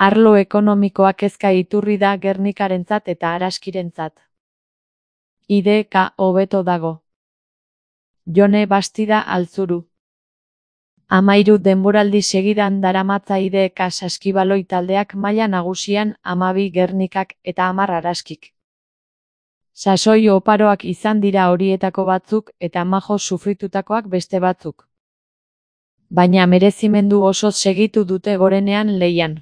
Arlo ekonomikoa kezka iturri da Gernikarentzat eta Araskirentzat. IDK hobeto dago. Jone Bastida Altzuru. 13 denboraldi segidan daramatza IDK saskibaloi taldeak maila nagusian 12 Gernikak eta 10 Araskik. Sasoi oparoak izan dira horietako batzuk eta majo sufritutakoak beste batzuk. Baina merezimendu osoz segitu dute gorenean lehian.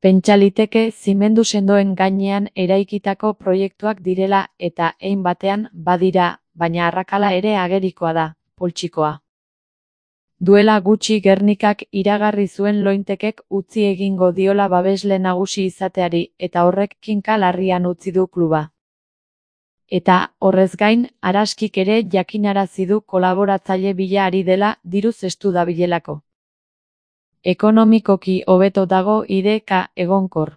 Pentsa liteke zimendu sendoen gainean eraikitako proiektuak direla eta hein batean badira, baina arrakala ere agerikoa da, poltsikoa. Duela gutxi Gernikak iragarri zuen Lointekek utzi egingo diola babesle nagusi izateari eta horrek kinka larrian utzi du kluba. Eta, horrez gain, Araskik ere jakinarazi du kolaboratzaile bila ari dela diruz estu dabilelako. Ekonomikoki hobeto dago IDK egonkor.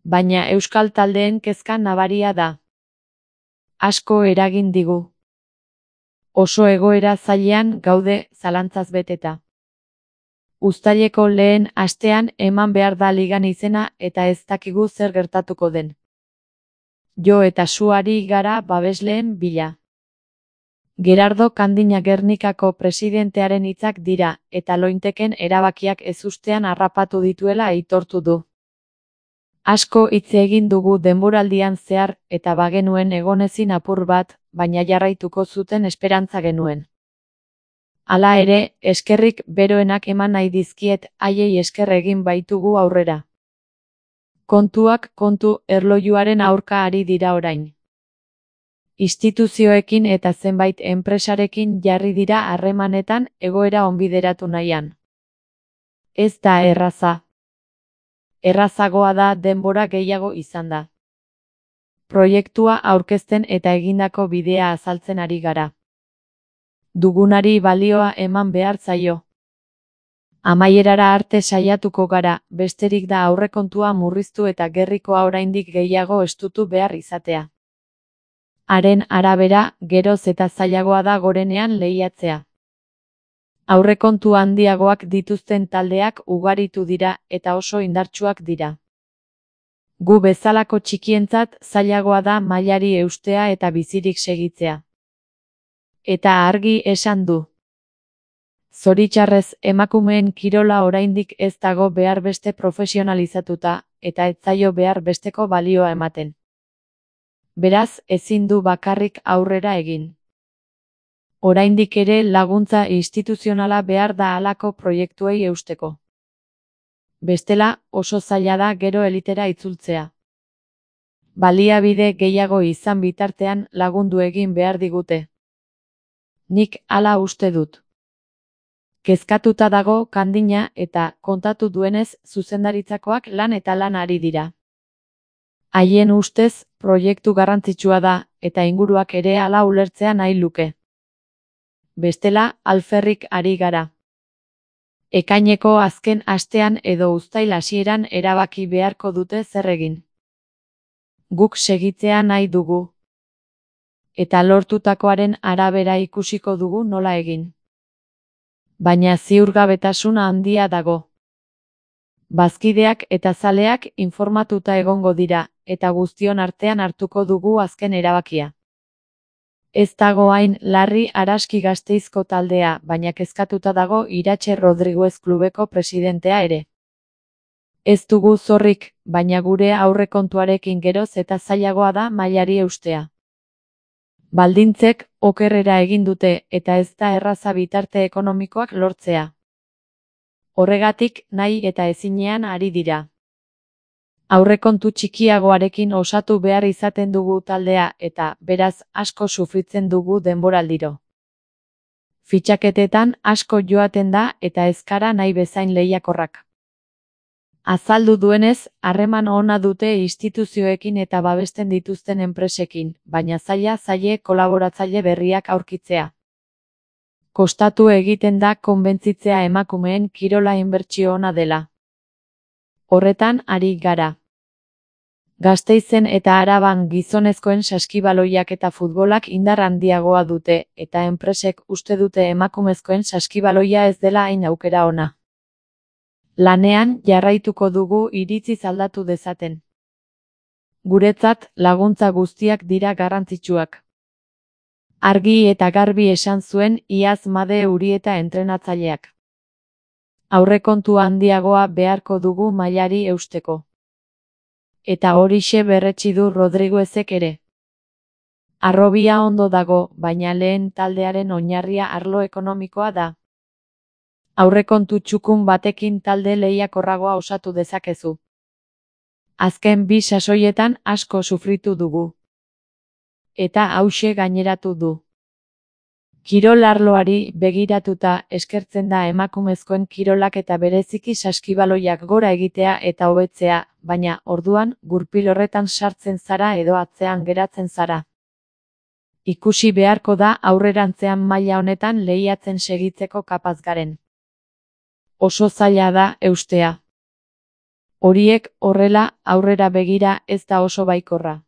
Baina euskal taldeen kezka nabaria da. Asko eragin digu. Oso egoera zailean gaude zalantzaz beteta. Uztaileko lehen astean eman behar da ligan izena eta ez dakigu zer gertatuko den. Jo eta su ari gara babesleen bila. Gerardo Kandina Gernikako presidentearen hitzak dira, eta Lointeken erabakiak ezustean harrapatu dituela aitortu du. Asko hitz egin dugu denboraldian zehar, eta bagenuen egonezin apur bat, baina jarraituko zuten esperantza genuen. Hala ere, eskerrik beroenak eman nahi dizkiet, haiei esker egin baitugu aurrera. Kontuak kontu erlojuaren aurka ari dira orain. Instituzioekin eta zenbait enpresarekin jarri dira harremanetan egoera onbideratu nahian. Ez da erraza. Errazagoa da denbora gehiago izan da. Proiektua aurkezten eta egindako bidea azaltzen ari gara. Dugunari balioa eman behar zaio. Amaierara arte saiatuko gara, besterik da aurrekontua murriztu eta gerrikoa oraindik gehiago estutu behar izatea. Haren arabera, geroz eta zailagoa da gorenean lehiatzea. Aurrekontu handiagoak dituzten taldeak ugaritu dira eta oso indartsuak dira. Gu bezalako txikientzat zailagoa da mailari eustea eta bizirik segitzea. Eta argi esan du. Zoritxarrez emakumeen kirola oraindik ez dago behar beste profesionalizatuta, eta ez zaio behar besteko balioa ematen. Beraz, ezin du bakarrik aurrera egin. Oraindik ere laguntza instituzionala behar da halako proiektuei eusteko. Bestela, oso zaila da gero elitera itzultzea. Baliabide gehiago izan bitartean lagundu egin behar digute. Nik hala uste dut. Kezkatuta dago Kandina eta, kontatu duenez, zuzendaritzakoak lan eta lan ari dira. Haien ustez, proiektu garrantzitsua da, eta inguruak ere hala ulertzea nahi luke. Bestela, alferrik ari gara. Ekaineko azken astean edo uztail hasieran erabaki beharko dute zer egin. Guk segitzea nahi dugu. Eta lortutakoaren arabera ikusiko dugu nola egin. Baina ziurgabetasuna handia dago. Bazkideak eta zaleak informatuta egongo dira, eta guztion artean hartuko dugu azken erabakia. Ez dago hain larri Araski Gasteizko taldea, baina kezkatuta dago Iratxe Rodriguez klubeko presidentea ere. Ez dugu zorrik, baina gure aurrekontuarekin geroz eta zailagoa da mailari eustea. Baldintzek okerrera egin dute eta ez da erraza bitarte ekonomikoak lortzea. Horregatik nahi eta ezinean ari dira. Aurrekontu txikiagoarekin osatu behar izaten dugu taldea eta, beraz, asko sufritzen dugu denboraldiro. Fitxaketetan asko joaten da eta ez gara nahi bezain lehiakorrak. Azaldu duenez, harreman ona dute instituzioekin eta babesten dituzten enpresekin, baina zaila kolaboratzaile berriak aurkitzea. Kostatu egiten da konbentzitzea emakumeen kirola inbertsio ona dela. Horretan ari gara. Gasteizen eta Araban gizonezkoen saskibaloiak eta futbolak indar handiagoa dute, eta enpresek uste dute emakumezkoen saskibaloia ez dela hain aukera ona. Lanean jarraituko dugu iritziz aldatu dezaten. Guretzat laguntza guztiak dira garrantzitsuak. Argi eta garbi esan zuen iaz Made Urieta entrenatzaileak. Aurrekontu handiagoa beharko dugu mailari eusteko. Eta horixe berretsi du Rodriguezek ere. Harrobia ondo dago, baina lehen taldearen oinarria arlo ekonomikoa da. Aurrekontu txukun batekin talde lehiakorragoa osatu dezakezu. Azken 2 sasoietan asko sufritu dugu. Eta hauxe gaineratu du. Kirol arloari begiratuta eskertzen da emakumezkoen kirolak eta bereziki saskibaloiak gora egitea eta hobetzea, baina orduan gurpil horretan sartzen zara edo atzean geratzen zara. Ikusi beharko da aurrerantzean maila honetan lehiatzen segitzeko kapaz garen. Oso zaila da eustea. Horiek horrela aurrera begira ez da oso baikorra.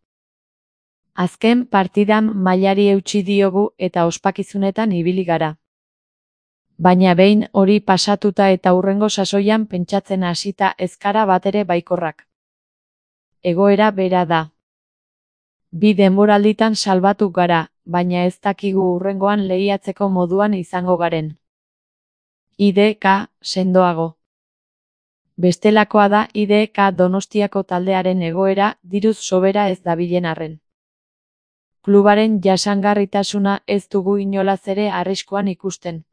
Azken partidan mailari eutsi diogu eta ospakizunetan ibili gara. Baina behin hori pasatuta eta hurrengo sasoian pentsatzen hasita ez gara batere baikorrak. Egoera bera da. 2 denboralditan salbatu gara, baina ez dakigu hurrengoan lehiatzeko moduan izango garen. IDK sendoago. Bestelakoa da IDK Donostiako taldearen egoera diruz sobera ez dabilen arren. Klubaren jasangarritasuna ez dugu inolaz ere arriskuan ikusten.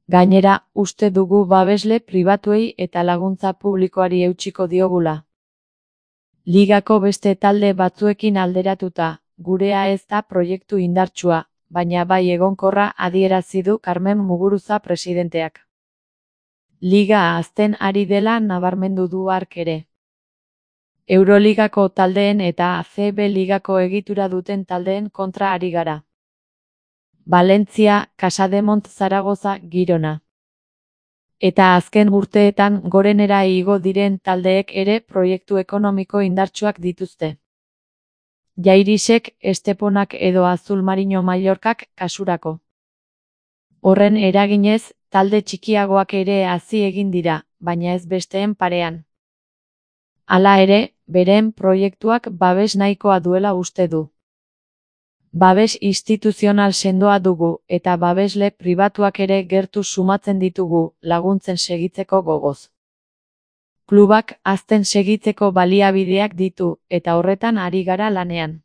Gainera, uste dugu babesle pribatuei eta laguntza publikoari eutsiko diogula. Ligako beste talde batzuekin alderatuta, gurea ez da proiektu indartsua, baina bai egonkorra adierazi du Carmen Muguruza presidenteak. Liga hazten ari dela nabarmendu du hark ere. Euroligako taldeen eta ACB ligako egitura duten taldeen kontra ari gara. Valentzia, Casademont, Zaragoza, Girona. Eta azken urteetan gorenera igo diren taldeek ere proiektu ekonomiko indartsuak dituzte. Jairisek, Esteponak edo Azul Marino Mallorcak kasurako. Horren eraginez, talde txikiagoak ere hazi egin dira, baina ez besteen parean. Hala ere, beren proiektuak babes nahikoa duela uste du. Babes instituzional sendoa dugu eta babesle pribatuak ere gertu sumatzen ditugu laguntzen segitzeko gogoz. Klubak hazten segitzeko baliabideak ditu eta horretan ari gara lanean.